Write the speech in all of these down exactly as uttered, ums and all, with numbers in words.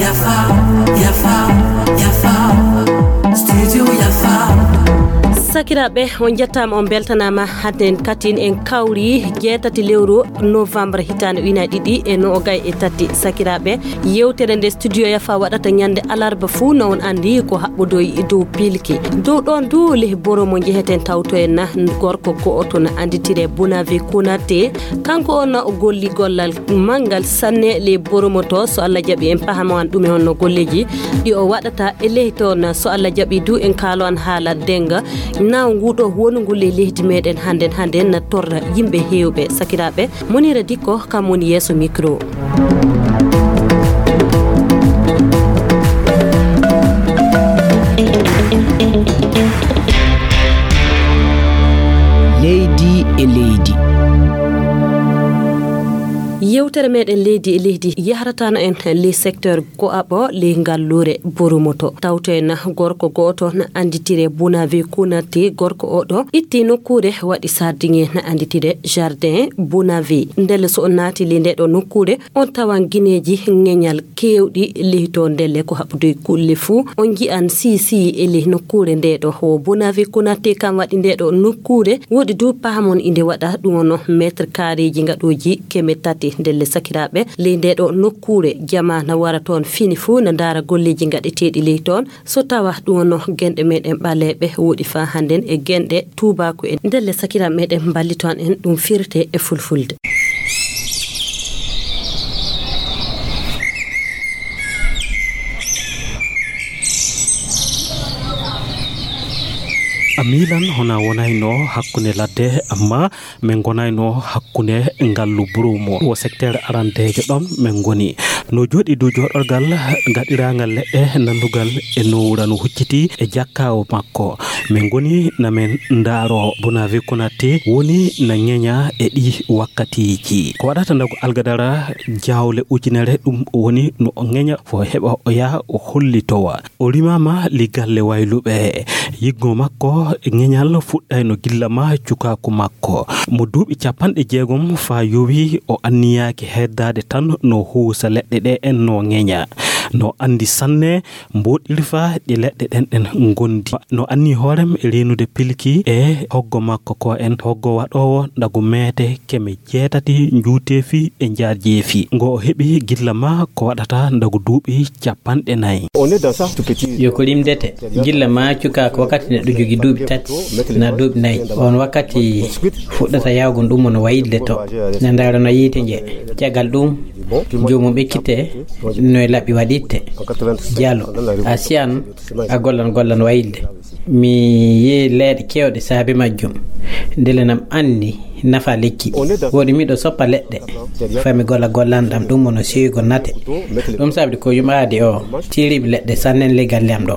Yafa, yafa, yafa. Studio yafa. Sakiraaɓe, on njettaama, on mbeltanaama. Hadden katin en kawri jeetati lewru novembre hitaande ujunaaji ɗiɗi e noogay e tati. Sakiraaɓe, yewtere nde Studio Yafa waɗata ñande alarba fuu, no on anndi, ko haɓɓodoy dow pilki. Dow ɗoon du, leh boro mo njeheten tawtoyen na gorko go'oto na annditire Bonavi Konate. Kanko on na o golli gollal manngal sanne leh boro mo to. So Allah jaɓi, en pahamo an ɗume honno golleeji ɗi o waɗata e leh toon. So Allah jaɓi du, en kaalo an haala denga. Naw nguɗo wonungu leh lehdi meɗen hannden, hannden na torra yimɓe heewɓe. Sakiraaɓe, Monira Dikko kam woni yeeso micro. Leydi e leydi. Yewtere meɗen leydi e leydi yahrata no en les secteur go'aɓo les ngalluure Boromoto. Tawto en gorko go'oto na annditire Bonavi Konate. Gorko oɗo itti nokkuure waɗi sardiŋe na annditire jardin Bonavi. Ndelle so on naati le ndeɗo nokkuure, on tawan gineeji ŋeñal keewɗi lehto. Ndelle ko haɓude kulle fuu, on nji'an sii sii e leh nokkuure ndeɗo. Wo Bonavi Konate kam waɗi ndeɗo nokkuure. Woɗi du pahamon inde waɗa ɗum ono mètre carréji ngaɗooji keme tati. Ndelle sakiraaɓe, ley ndeɗo nokkuure, jama na wara toon fini fuu na ndaara golleeji ngaɗeteeɗi ley toon. So tawa ɗum ono genɗe meɗen ɓaleeɓe woɗi faa hannden e genɗe tuubaaku en. Ndelle sakiraaɓe meɗen mballito an en ɗum firte e fulfulde. A miilan hona wonayno hakkunde ladde, amma min ngonayno hakkunde ngallu Burumo. Wo secteur arandeejo ɗon min ngoni. No jooɗi dow jooɗorgal gaɗiraangal leɗɗe nanndugal e nowra no hucciti e jakkaawo makko. Min ngoni na min ndaaro Bonavi Konate woni na ŋeña e ɗi wakkatiiji. Ko waɗata ndagu algadara jawle ujunere ɗum woni no o ŋeña fo heɓa o yaha o hollitowa. O rimaama li galle wayluɓe. Yiggo makko ŋeñal fuɗɗayno gilla ma cukaaku makko. Mo duuɓi capanɗe jeegom faa yowi o anniyaaki heddaade tan no huusa leɗɗe ɗe en no ŋeña. No anndi sanne mboɗirfa ɗi leɗɗe ɗen ɗen ngondi. No anni hoorem e reenude pilki e hoggo makko ko en hoggo waɗoowo ndagu meete keme jeetati njuuteefi e njaarjeefi. Ngo o heɓi gilla ma ko waɗata ndagu duuɓi capanɗe nayi. Yo ko limdete, gilla ma cuka ko wakkati neɗɗo jogi duuɓi tati na duuɓi nayi. On wakkati fuɗɗata yawgo ɗum no wayilde to. Na ndaara no yiite nje. Caggal ɗum, joomum ekkite no e laɓi waɗitte. Jalo, a siyan a gollan gollan wayilde. Mi yii leeɗe keewɗe saabe majjum. Ndele nam anndi nafa lekki. Woni miɗo soppa leɗɗe. Fami golla gollan ɗam ɗum wono seygo nate. Ɗum sabdi ko yumaade o tiiriɓe leɗɗe sannen ley galle am ɗo.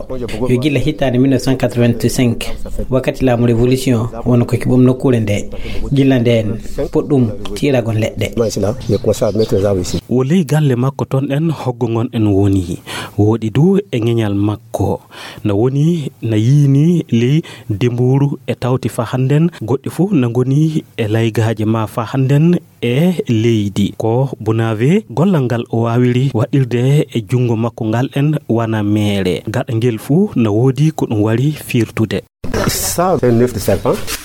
Yo gilla hitaande mille neuf cent quatre-vingt-cinq, wakkati laamu révolution, wono ko kiɓum nokkuure nde. Gilla ndeen puɗɗum tiiragol leɗɗe. Wo ley galle makko ton en hoggo ngon en woni. Woɗi du e ŋeñal makko. Na woni na yiini ley demburu e tawti fa hannden, goɗɗi fuu na ngoni e laygaaje ma fa hannden e leydi. Ko Bonavi gollal ngal o waawiri waɗirde e junngo makko ngal en wana meere. Gaɗa ngel fuu na woodi ko ɗum wari firtude.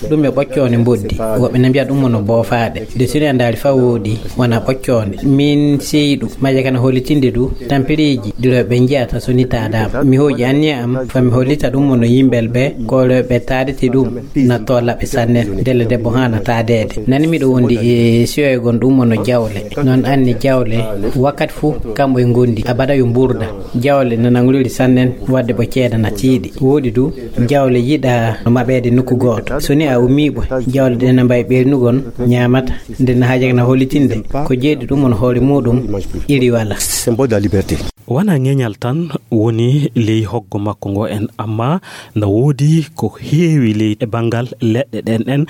Ɗum e ɓoccoonde mboddi. Woɓɓe na mbiya ɗum wono boofaaɗe. De sini a ndaari fa woodi, wona ɓoccoonde. Min seyi ɗum. Maje kana hollitinde du, tampireeji, duro ɓe njiyata so ni taadaama. Mi hooƴi anniya am, fa mi hollita ɗum wono yimɓel ɓe, koolooɓe taadete ɗum, na toola ɓe sanne. Ndelle debbo haana taadeede. Nani miɗo wondi e siyoygon ɗum wono jawle. Noon anni jawle, wakkati fuu, kamɓe ngondi. Abada yo mburda. Jawle na nangriri sannen, wadde ɓo ceeda na tiiɗi. Woodi du, jawle yiɗa no maɓeede nokku gooto. So ni a ummii ɓo, jawle ɗe na mbayi ɓeernugon, ñaamata. Nde na haajaka na hollitinde, ko jeeɗi ɗum on hoore muuɗum, iri wala. Symbole de la liberté. Wona ŋeñal tan woni ley hoggo makko ngo en, amma na woodi ko heewi ley e banngal leɗɗe ɗen ɗen,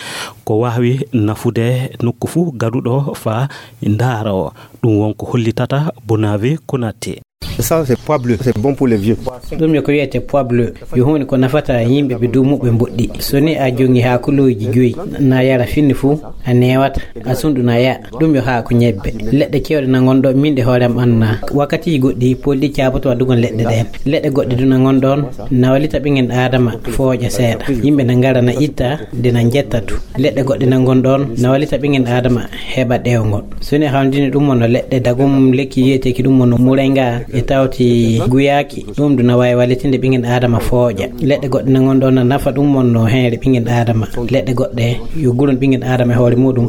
ko waawi nafude nokku fuu gaduɗo faa ndaara o. Ɗum won ko hollitata Bonavi Konate. Ça, c'est pois bleu, c'est bon pour les vieux. Ɗum yo ko wiyete pois bleu, yo huunde ko nafata yimɓe ɓe duumuɓe mboɗɗi. So ni a jongi haa kulooji joyi, na yara finni fuu, a newata, a sunɗu na yaa. Ɗum yo haa ko ñebbe. Leɗɗe kewɗe na ngon ɗo, min ɗe hoore am annaa. Wakkatiiji goɗɗi, poldi caaboto addugon leɗɗe ɗeen. Leɗɗe goɗɗe du na ngon ɗoon, na wallita ɓingen Aadama fooƴa seeɗa. Yimɓe na ngara na itta, de na njetta du. Leɗɗe goɗɗe na ngon ɗoon, na wallita ɓingen Aadama heɓa ɗeewngol. So ni a hawndini ɗum wonno leɗɗe dagum lekki yiyeteeki ɗum wonno murenga e tawti guyaaki, ɗum du na waawi wallitinde ɓingen Aadama fooƴa. Leɗɗe goɗɗe na ngon ɗoon na nafa ɗum wonno heere ɓingen Aadama. Leɗɗe goɗɗe yo gulon ɓingen Aadama e hoore muɗum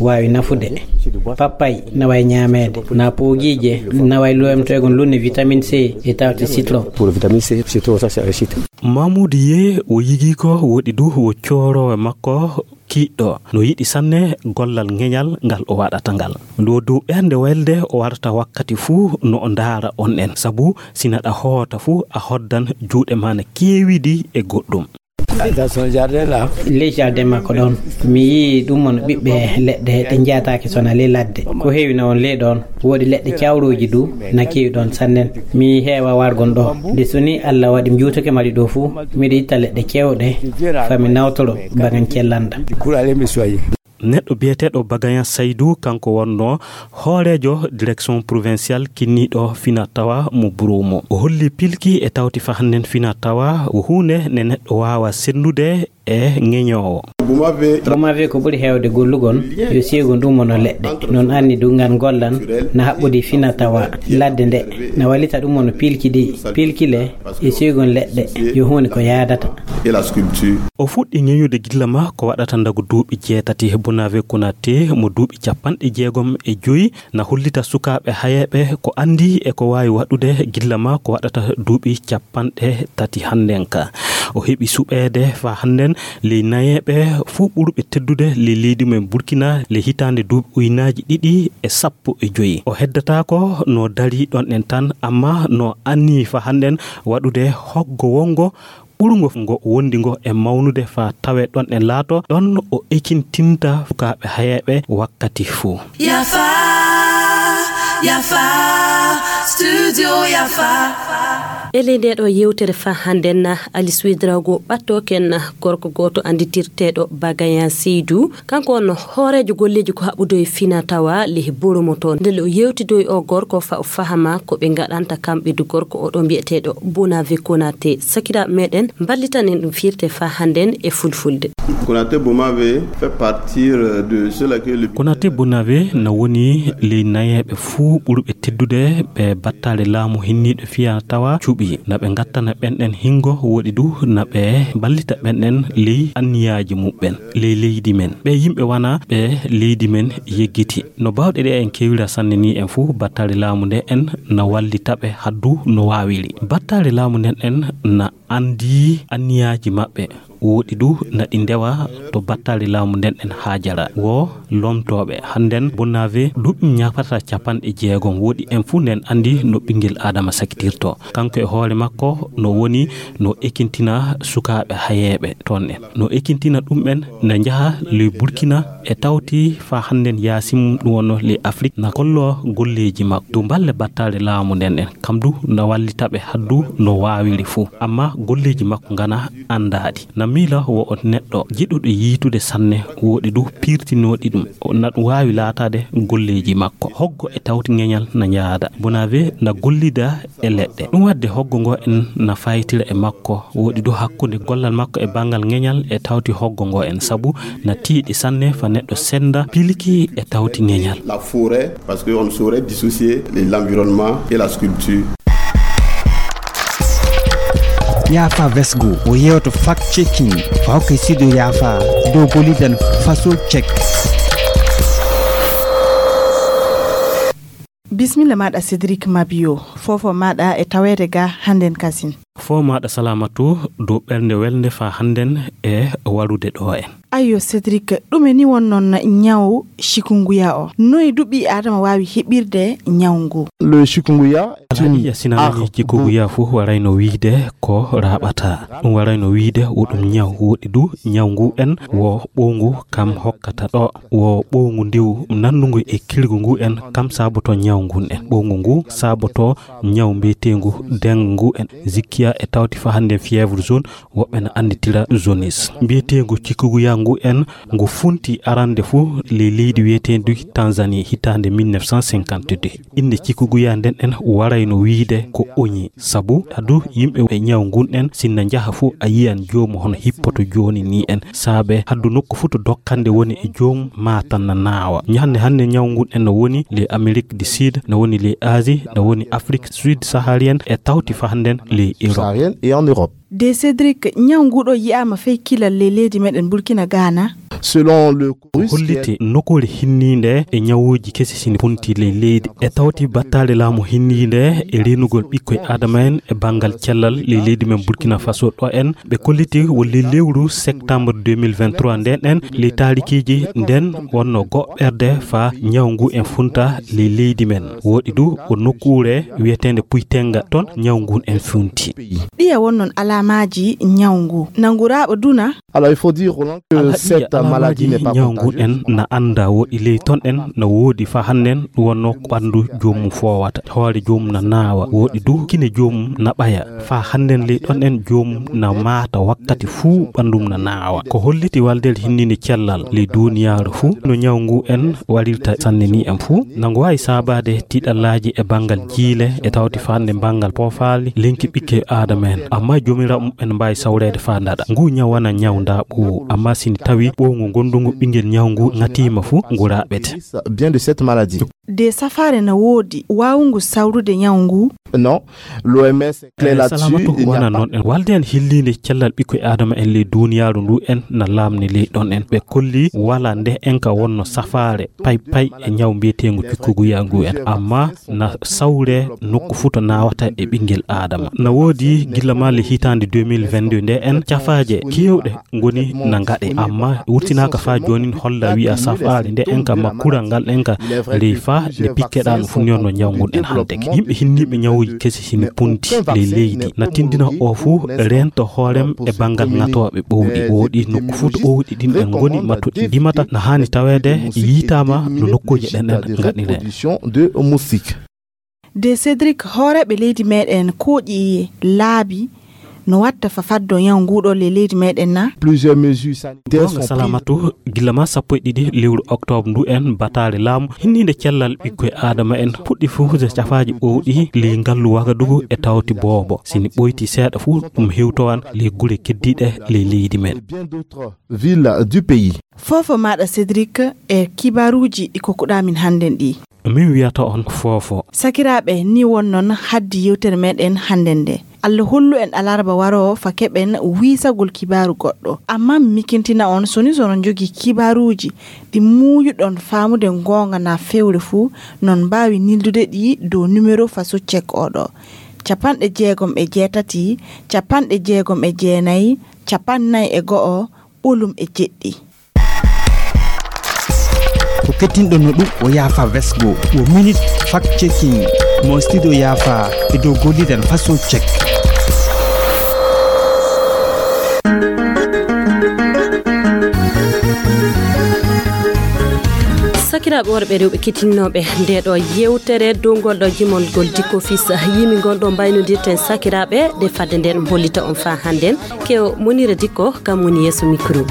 waawi nafude. Pappay na waawi ñaameede, na poogiije, na waawi loyamtoygon lunne vitamine C e tawti citron. Pour vitamine C, citron, ça c'est un chute. Mamoudou Ye o yigii ko woɗi du wo cooroowo makko kiiɗɗo. No yiɗi sanne gollal ŋeñal ngal o waɗata ngal. Ndu o dow ɓernde welde o warata wakkati fuu no o ndaara on en. Sabu si naɗa hoota fuu a hoddan juuɗe ma na keewidi e goɗɗum. Dans son jardin là. Ley jardin makko ɗoon, mi yii ɗum won ɓiɓɓe leɗɗe ɗe njaataaki sona ley ladde. Ko heewi na on ley ɗoon, woodi leɗɗe cawrooji du na keewi ɗoon sannen. Mi heewa wargon ɗo. Nde so ni Allah waɗi mi juutake mari ɗo fuu, miɗo itta leɗɗe cewɗe, fa mi nawtoro bagan cellanda. Pour aller me soigner. Neɗɗo biyeteeɗo Bagayan Saydou, kanko wonnoo hooreejo direction provinciale kinniiɗo fina tawa mo Burumo. O holli pilki e tawti fa hannden fina tawa ko huunde nde neɗɗo waawa senndude e ŋeñoowo. Bomavi ko ɓuri heewde gollugon, yo siygon ɗum wonno leɗɗe. Noon anni du ngan gollan na haɓɓodi fina tawa ladde nde, na wallita ɗum wonno pilki ɗi, pilki le, e siygon leɗɗe, yo huunde ko yaadata. Et la sculpture. O fuɗɗi ŋeñude gilla ma ko waɗata ndagu duuɓi jeetati. Bonaventure Konaté mo duuɓi capanɗe jeegom e joyi na hollita sukaaɓe hayeeɓe ko anndi e ko waawi waɗude gilla ma ko waɗata duuɓi capanɗe tati hannden ka. O heɓi suɓeede fa hannden ley nayeeɓe fuu ɓurɓe teddude ley leydi men Burkina ley hitaande duuɓi uynaaji ɗiɗi e sappo e joyi. O heddataako no darii ɗon ɗen tan, amma no anni fa hannden waɗude hoggo wonngo ɓurngo ngo wondi ngo e mawnude fa tawe ɗon e laato ɗon o ekintinta sukaaɓe hayeeɓe wakkati fuu. Yafa, yafa, studio yafa. E ley nde ɗo yewtere fa hannden na Alice Ouedraogo ɓatto ken gorko gooto annditirteeɗo Bagayan Seydou. Kanko on hooreejo golleeji ko haɓɓudo e fina tawa ley Boromo toon. Nde o yewtidoy o gorko fa o fahama ko ɓe ngaɗanta kamɓe du gorko o ɗo mbiyeteeɗo Bonaventure Konaté. Sakiraaɓe meɗen mballitan en ɗum firte fa hannden e fulfulde. Konaté Bomavé fait partie de ceux-là que le Konaté Bonavé na woni ley nayeeɓe fuu ɓurɓe teddude ɓe battaale laamu hinniiɗo fina tawa cuɓi. Na ɓe ngattana ɓen ɗen hingo woɗi du na ɓe mballita ɓen ɗen ley anniyaaji muɓɓen. Ley leydi men. Ɓe yimɓe wana ɓe leydi men yeggiti. No baawɗe ɗe en kewira sanne ni en fuu battaale laamu nde en na wallita ɓe haddu no waawiri. Battaale laamu nden en na anndi anniyaaji maɓɓe. Woɗi du na ɗi ndewa to battaale laamu nden en haajara. Wo lomtooɓe hannden Bonavé duuɓi ñaapata capanɗe jeegom woɗi en fuu nden anndi no ɓinngel Aadama sakitirto. Kanko e hoore makko no woni no ekintina sukaaɓe hayeeɓe toon en. No ekintina ɗum en na njaha ley Burkina e tawti fa hannden yaasin ɗum wonno ley Afrik na gollo golleeji makko. Dow balle battaale laamu nden en. Kam du na wallita ɓe haddu no waawiri fuu. Amma golleeji makko ngana anndaaɗi. Na miila wo o neɗɗo jiɗuɗo yiitude sanne woɗi du piirtinooɗi ɗum. O na ɗum waawi laataade golleeji makko. Hoggo e tawti ŋeñal na njaada. Bonavé na gollida e leɗɗe. Ɗum waɗde hoggo ngo en na faytira e makko. Woɗi du hakkunde gollal makko e banngal ŋeñal e tawti hoggo ngo en. Sabu na tiiɗi sanne fa neɗɗo sennda pilki e tawti ŋeñal. La forêt, parce qu'on ne saurait dissocier l'environnement et la sculpture. Yafa Vesgo, o yewto fact checking, o hokka studio Yafa, dow golidan faso check. Bismilla maɗa Cédric Mabio, fofo maɗa e tawede ga hannden kasin. Fo maɗa salamatu dow ɓernde welnde fa hannden e warude ɗo en. Ayyo, Cédric, ɗume ni won noon ñaw chikungunya o? Noy du ɓii Aadama waawi heɓirde ñaw ngu? Le chikungunya est une Alhaji, a sinanani arme chikungunya fof warayno wiide ko raaɓata. Ɗum warayno wiide wo ɗum ñaw. Woɗi du ñaw ngu en wo ɓowngu kam hokkata ɗo. Wo ɓowngu ndiw nannungu e kirgu ngu en kam saboto ñaw ngun en. Ɓowngu ngu saboto ñaw mbiyeteengu dengue ngu en zikkiya e tawti fa hannden fièvre jaune, woɓɓe na annditira jaunisse. Mbiyeteengu chikungunya ngu en ngu funti arande fuu ley leydi wiyeteendi Tanzanie hitaande mille neuf cent cinquante-deux. Innde chikungunya nden en warayno wiide ko oñi, sabu adu yimɓe e ñaw ngun en sinna njaha fuu a yiyan joomu hono hippoto jooni ni en. Saabe haddu nokku fuu to dokkande woni e joomu maa tan na naawa. Ñande hannde ñaw ngun en no woni ley Amérique du Sud, no woni ley Asie, no woni Afrique sud saharienne e tawti fa hannden ley Europe. Saharienne et en Europe. De Cédric, ñaw ngu ɗo yi'aama fey kilal ley leydi meɗen Burkina Ghana. Selon le Ko holliti nokkuure hinniinde e ñawuuji kesi sini funti ley leydi. E tawti battaale laamu hinniinde e reenugol ɓikkoy Aadama en e banngal cellal ley leydi men Burkina Faso ɗo en, ɓe kolliti wo ley lewru septembre deux mille vingt-trois nden en, ley taarikiiji nden wonno goɓɓerde fa ñaw ngu en funta ley leydi men. Woɗi du wo nokkuure wiyeteende Puytenga, ton ñaw ngun en funti. Ɗiya won noon alaamaaji ñaw ngu? Nangu raaɓa duna? Alors, il faut dire, Roland, que Alhaji, cette maladie n'est pas contagieuse. Ñaw ngu en na annda woɗi ley ton en na woodi fa hannden ɗum wonno ko ɓanndu joomum foowata. Hoore joomum na naawa. Woɗi du kine joomum na ɓaya. Fa hannden ley ɗon en joomum na maata wakkati fuu ɓanndum na naawa. Ko holliti waldere hinniinde cellal ley duuniyaaru fuu no ñaw ngu en warirta sanne ni en fuu. Na ngu waawi saabaade tiiɗallaaji e banngal jiile e tawti fa hannden banngal poofaali lenki ɓikke Aadama en. Amma joomiraaɓe muɓɓen mbaawi sawreede faa ndaɗa. Ngu ñaw wana ñaw ndaaɓoowu, amma sini tawi ɓowngu ngonndungu ɓinngel ñaw ngu ŋatiima fu, ngu raaɓete. Bien de cette maladie. De safaare na woodi waawungu sawrude ñaw ngu? Non, l'O M S est clair là-dessus, salamatu il n'y a wana pas. Noon en. Walde en hilliinde cellal ɓikkoy Aadama en ley duuniyaaru ndu en na laamni ley ɗon en. Ɓe kolli wala nde en ka wonno safaare pay pay e ñaw mbiyeteengu cukkuguya ngu en. Amma na sawre nokku fuu to naawata e ɓinngel Aadama. Na woodi gilla maa le hitaande deux mille vingt-deux nde en cafaaje keewɗe ngoni na ngaɗe, amma wurtinaaka faa joonin holla wi'a safaare nde en ka ma kural ngal en ka ley faa nde pikke ɗaa no funyorno ñaw ngun en hannde. Yimɓe hinniiɓe ñawuuji kesi sini punti ley leydi na tindina o fuu reento hoorem e banngal ŋatooɓe ɓowɗi. Woodi nokku fuu to ɓowɗi ɗin en ngoni ma to ɗi ndimata na haani taweede yiitaama no nokkuuje ɗen en ngaɗire. De Cédric, hooreeɓe leydi meɗen kooƴi laabi no watta fa faddo ñaw nguɗo le leydi meɗen na? Plusieurs mesures sanitaires. Goonga sont prises. Salamatu, gilla ma sappo e ɗiɗi lewru octobre ndu en bataare laamu hinniinde cellal ɓikkoy Aadama en puɗɗi fuufude cafaaji ɓowɗi ley ngallu Wagadugu e tawti boobo. Sini ɓoyti seeɗa fuu ɗum hewtowan ley gure keddiiɗe ley leydi men. Bien d'autres villes du pays. Foofo maɗa Cédric e kibaruuji ɗi kokkuɗaa min hannden ɗi. Min wiyata on foofo. Sakiraaɓe, ni won noon haddi yewtere meɗen hannden nde. Allah hollu en alarba waroowo fa keɓen wiisagol kibaaru goɗɗo. Amma mi mikintina on, soni sono njogii kibaaruuji ɗi muuyuɗon faamude ngoonga na fewre fuu, non mbaawi nildude ɗi dow numéro faso cek oɗo: capanɗe jeegom e jeetati, capanɗe jeegom e jeenayi, capannayi e go'o, ɓolum e jeɗɗi. Ko kettinɗon no ɗum o yaafa vesgo, o minute fact checking mo studio yaafa e dow golliɗen faso check. Sakiraaɓe worɓe e rewɓe kettinnooɓe nde ɗo yewtere dow ngol ɗo jimol ngol Dikko Fils yimi ngol ɗo mbaynodirten sakiraaɓe, de fadde nden hollita on faa hannden. Kew Munira Dikko, kam woni yeeso mikro.